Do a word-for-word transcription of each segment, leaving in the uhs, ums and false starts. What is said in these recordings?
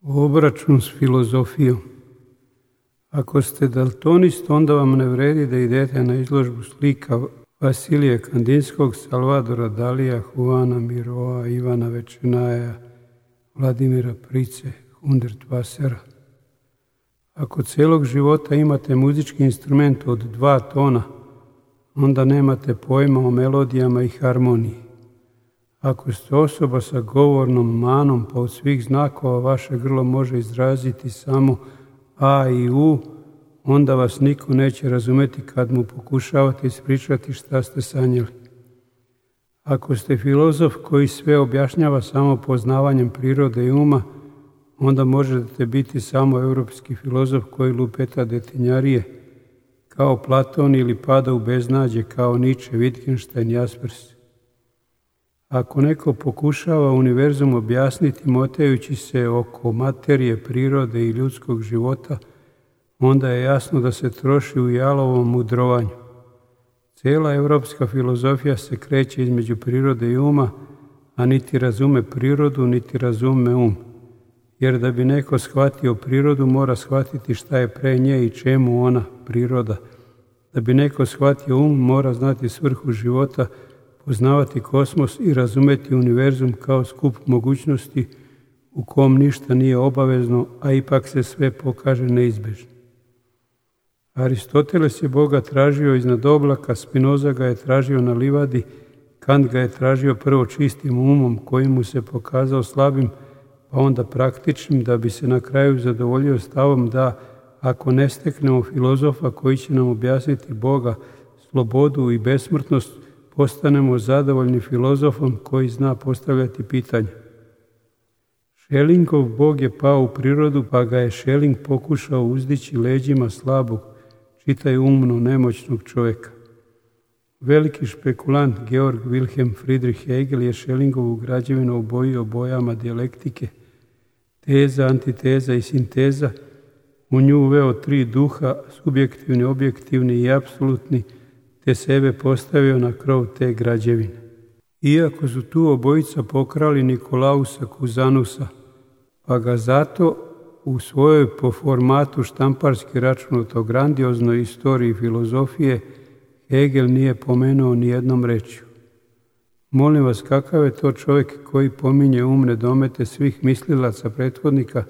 Obračun s filozofijom. Ako ste daltonist, onda vam ne vredi da idete na izložbu slika Vasilija Kandinskog, Salvadora Dalija, Juana Miroa, Ivana Večenaja, Vladimira Price, Hundertwassera. Ako celog života imate muzički instrument od dva tona, onda nemate pojma o melodijama i harmoniji. Ako ste osoba sa govornom manom, pa od svih znakova vaše grlo može izraziti samo a i u, onda vas niko neće razumeti kad mu pokušavate ispričati šta ste sanjali. Ako ste filozof koji sve objašnjava samo poznavanjem prirode i uma, onda možete biti samo europski filozof koji lupeta detinjarije, kao Platon, ili pada u beznađe kao Nietzsche, Wittgenstein, Jaspers. Ako neko pokušava univerzum objasniti motajući se oko materije, prirode i ljudskog života, onda je jasno da se troši u jalovom mudrovanju. Cijela europska filozofija se kreće između prirode i uma, a niti razume prirodu, niti razume um. Jer da bi neko shvatio prirodu, mora shvatiti šta je pre nje i čemu ona, priroda. Da bi neko shvatio um, mora znati svrhu života, poznavati kosmos i razumeti univerzum kao skup mogućnosti u kom ništa nije obavezno, a ipak se sve pokaže neizbežno. Aristoteles je Boga tražio iznad oblaka, Spinoza ga je tražio na livadi, Kant ga je tražio prvo čistim umom koji mu se pokazao slabim, pa onda praktičnim, da bi se na kraju zadovoljio stavom da ako ne steknemo filozofa koji će nam objasniti Boga, slobodu i besmrtnost, postanemo zadovoljni filozofom koji zna postavljati pitanja. Schellingov Bog je pao u prirodu, pa ga je Schelling pokušao uzdići leđima slabog, čitaj umno, nemoćnog čovjeka. Veliki špekulant Georg Wilhelm Friedrich Hegel je Schellingovu građevinu obojio bojama dijalektike, teza, antiteza i sinteza, u nju uveo tri duha, subjektivni, objektivni i apsolutni, te sebe postavio na krov te građevine. Iako su tu obojica pokrali Nikolausa Kuzanusa, pa ga zato u svojoj po formatu štamparski računato grandioznoj istoriji filozofije Hegel nije pomenuo ni jednom rečju. Molim vas, kakav je to čovjek koji pominje umne domete svih mislilaca prethodnika,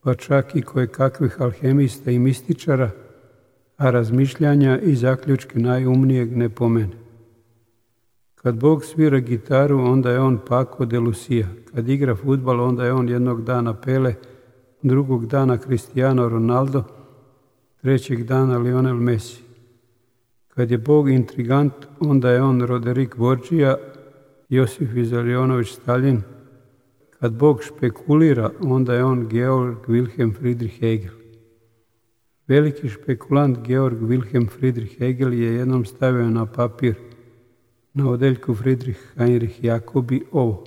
pa čak i koje kakvih alhemista i mističara, a razmišljanja i zaključke najumnijeg ne pomene. Kad Bog svira gitaru, onda je on Paco de Lucia. Kad igra fudbal, onda je on jednog dana Pele, drugog dana Cristiano Ronaldo, trećeg dana Lionel Messi. Kad je Bog intrigant, onda je on Roderick Borgia, Josif Vizarionović Stalin. Kad Bog špekulira, onda je on Georg Wilhelm Friedrich Hegel. Veliki špekulant Georg Wilhelm Friedrich Hegel je jednom stavio na papir na odeljku Friedrich Heinrich Jacobi ovo: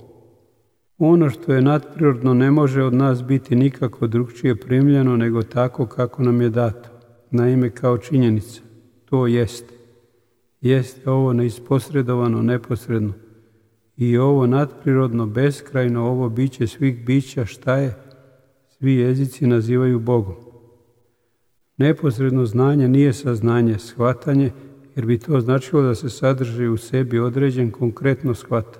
ono što je nadprirodno ne može od nas biti nikako drugčije primljeno nego tako kako nam je dato, naime kao činjenica. To jeste. Jeste ovo neisposredovano, neposredno. I ovo nadprirodno, beskrajno, ovo biće svih bića, šta je, svi jezici nazivaju Bogom. Neposredno znanje nije saznanje, shvatanje, jer bi to značilo da se sadrži u sebi određen konkretno shvata.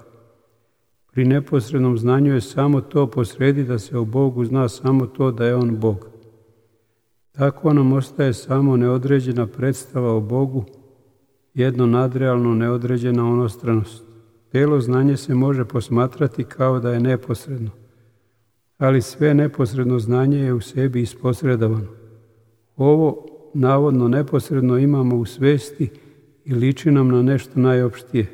Pri neposrednom znanju je samo to posredi da se o Bogu zna samo to da je on Bog. Tako nam ostaje samo neodređena predstava o Bogu, jedno nadrealno neodređena onostranost. Telo znanje se može posmatrati kao da je neposredno, ali sve neposredno znanje je u sebi isposredovano. Ovo navodno neposredno imamo u svesti i liči nam na nešto najopštije.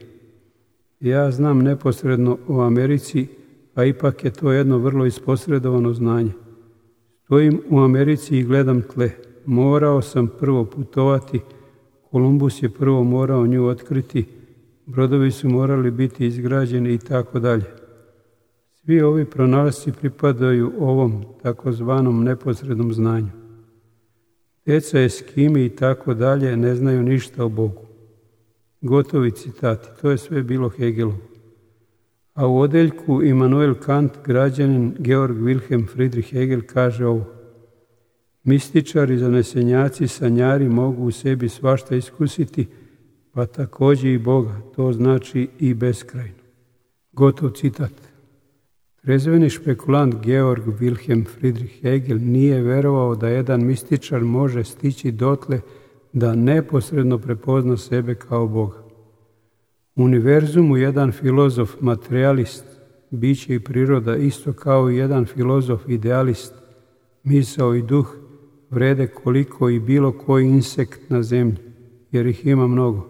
Ja znam neposredno o Americi, a ipak je to jedno vrlo isposredovano znanje. Stojim u Americi i gledam tle. Morao sam prvo putovati, Kolumbus je prvo morao nju otkriti, brodovi su morali biti izgrađeni i tako dalje. Svi ovi pronalasci pripadaju ovom takozvanom neposrednom znanju. Deca, Eskimi i tako dalje ne znaju ništa o Bogu. Gotovi citati, to je sve bilo Hegelovo. A u odeljku Immanuel Kant građanin Georg Wilhelm Friedrich Hegel kaže ovo: mističari, zanesenjaci, sanjari mogu u sebi svašta iskusiti, pa također i Boga, to znači i beskrajno. Gotov citat. Trezveni špekulant Georg Wilhelm Friedrich Hegel nije verovao da jedan mističar može stići dotle da neposredno prepozna sebe kao Boga. U univerzumu jedan filozof, materijalist, biće i priroda, isto kao i jedan filozof, idealist, misao i duh, vrede koliko i bilo koji insekt na zemlji, jer ih ima mnogo.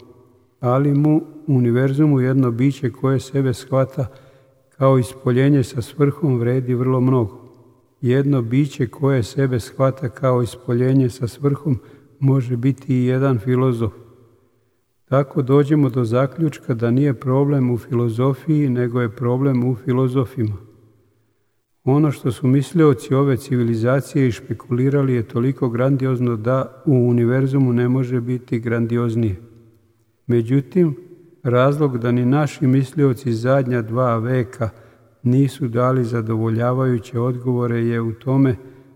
Ali mu u univerzumu jedno biće koje sebe shvata kao ispoljenje sa svrhom vredi vrlo mnogo. Jedno biće koje sebe shvata kao ispoljenje sa svrhom može biti i jedan filozof. Tako dođemo do zaključka da nije problem u filozofiji, nego je problem u filozofima. Ono što su mislioci ove civilizacije išpekulirali je toliko grandiozno da u univerzumu ne može biti grandioznije. Međutim, razlog da ni naši mislioci zadnja dva veka nisu dali zadovoljavajuće odgovore je u tome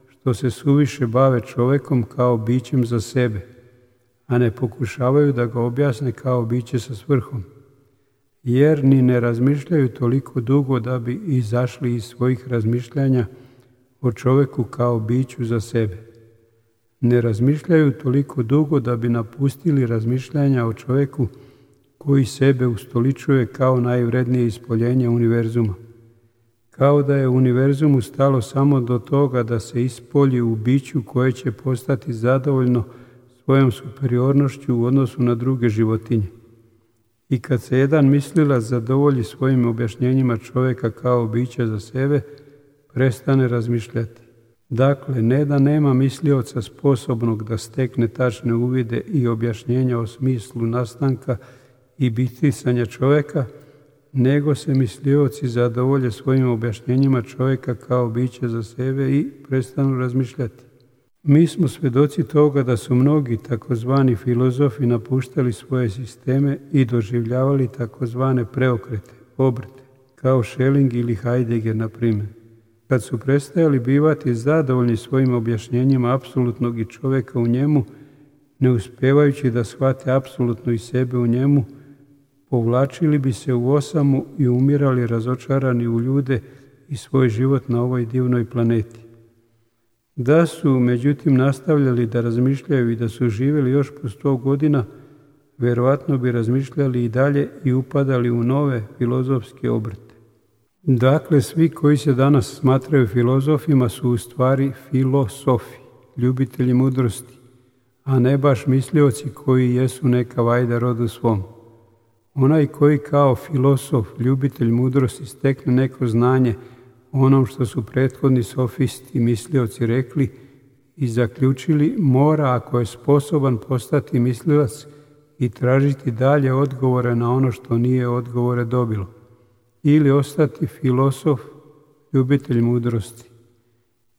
što se suviše bave čovjekom kao bićem za sebe, a ne pokušavaju da ga objasne kao biće sa svrhom, jer ni ne razmišljaju toliko dugo da bi izašli iz svojih razmišljanja o čovjeku kao biću za sebe. Ne razmišljaju toliko dugo da bi napustili razmišljanja o čovjeku koji sebe ustoličuje kao najvrednije ispoljenje univerzuma. Kao da je univerzumu stalo samo do toga da se ispolji u biću koje će postati zadovoljno svojom superiornošću u odnosu na druge životinje. I kad se jedan mislilac zadovolji svojim objašnjenjima čovjeka kao bića za sebe, prestane razmišljati. Dakle, ne da nema mislioca sposobnog da stekne tačne uvide i objašnjenja o smislu nastanka i bitisanja čovjeka, nego se mislioci zadovolje svojim objašnjenjima čovjeka kao biće za sebe i prestanu razmišljati. Mi smo svjedoci toga da su mnogi takozvani filozofi napuštali svoje sisteme i doživljavali takozvane preokrete, obrte, kao Schelling ili Heidegger, na primjer. Kad su prestajali bivati zadovoljni svojim objašnjenjima apsolutnog i čovjeka u njemu, ne uspijevajući da shvate apsolutno i sebe u njemu, povlačili bi se u osamu i umirali razočarani u ljude i svoj život na ovoj divnoj planeti. Da su, međutim, nastavljali da razmišljaju i da su živjeli još po sto godina, vjerojatno bi razmišljali i dalje i upadali u nove filozofske obrte. Dakle, svi koji se danas smatraju filozofima su u stvari filosofi, ljubitelji mudrosti, a ne baš mislioci koji jesu neka vajda rodu svom. Onaj koji kao filosof, ljubitelj mudrosti, stekne neko znanje onom što su prethodni sofisti i mislioci rekli i zaključili, mora, ako je sposoban, postati mislilac i tražiti dalje odgovore na ono što nije odgovore dobilo, ili ostati filosof, ljubitelj mudrosti.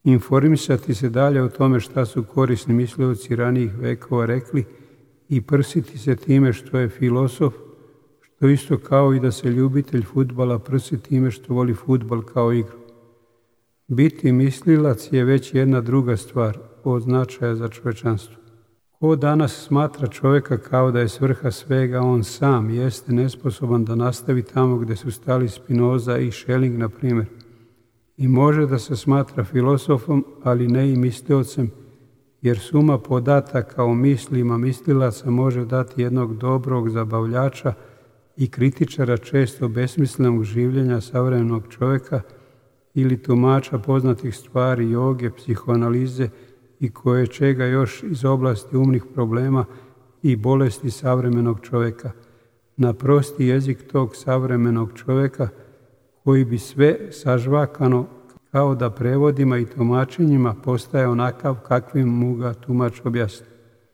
Informisati se dalje o tome šta su korisni mislioci ranijih vekova rekli i prsiti se time što je filosof, što isto kao i da se ljubitelj fudbala prsi time što voli fudbal kao igru. Biti mislilac je već jedna druga stvar od značaja za čovječanstvo. Ko danas smatra čovjeka kao da je svrha svega on sam, jeste nesposoban da nastavi tamo gdje su stali Spinoza i Schelling, na primjer. I može da se smatra filosofom, ali ne i misliocem, jer suma podataka o mislima mislilaca može dati jednog dobrog zabavljača i kritičara često besmislenog življenja savremenog čovjeka ili tumača poznatih stvari, joge, psihoanalize i koje čega još iz oblasti umnih problema i bolesti savremenog čovjeka, na prosti jezik tog savremenog čovjeka koji bi sve sažvakano kao da prevodima i tumačenjima postaje onakav kakvim mu ga tumač objasni.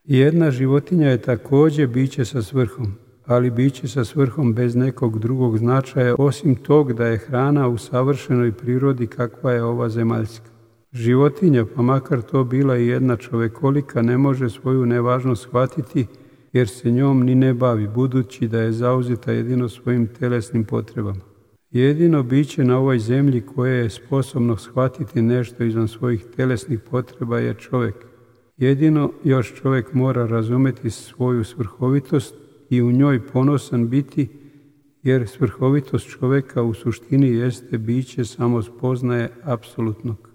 Jedna životinja je također biće sa svrhom, ali biće sa svrhom bez nekog drugog značaja, osim tog da je hrana u savršenoj prirodi kakva je ova zemaljska. Životinja, pa makar to bila i jedna čovekolika, ne može svoju nevažnost shvatiti jer se njom ni ne bavi, budući da je zauzeta jedino svojim telesnim potrebama. Jedino biće na ovoj zemlji koje je sposobno shvatiti nešto izvan svojih telesnih potreba je čovjek. Jedino još čovjek mora razumjeti svoju svrhovitost i u njoj ponosan biti, jer svrhovitost čovjeka u suštini jeste biće samospoznaje apsolutnog.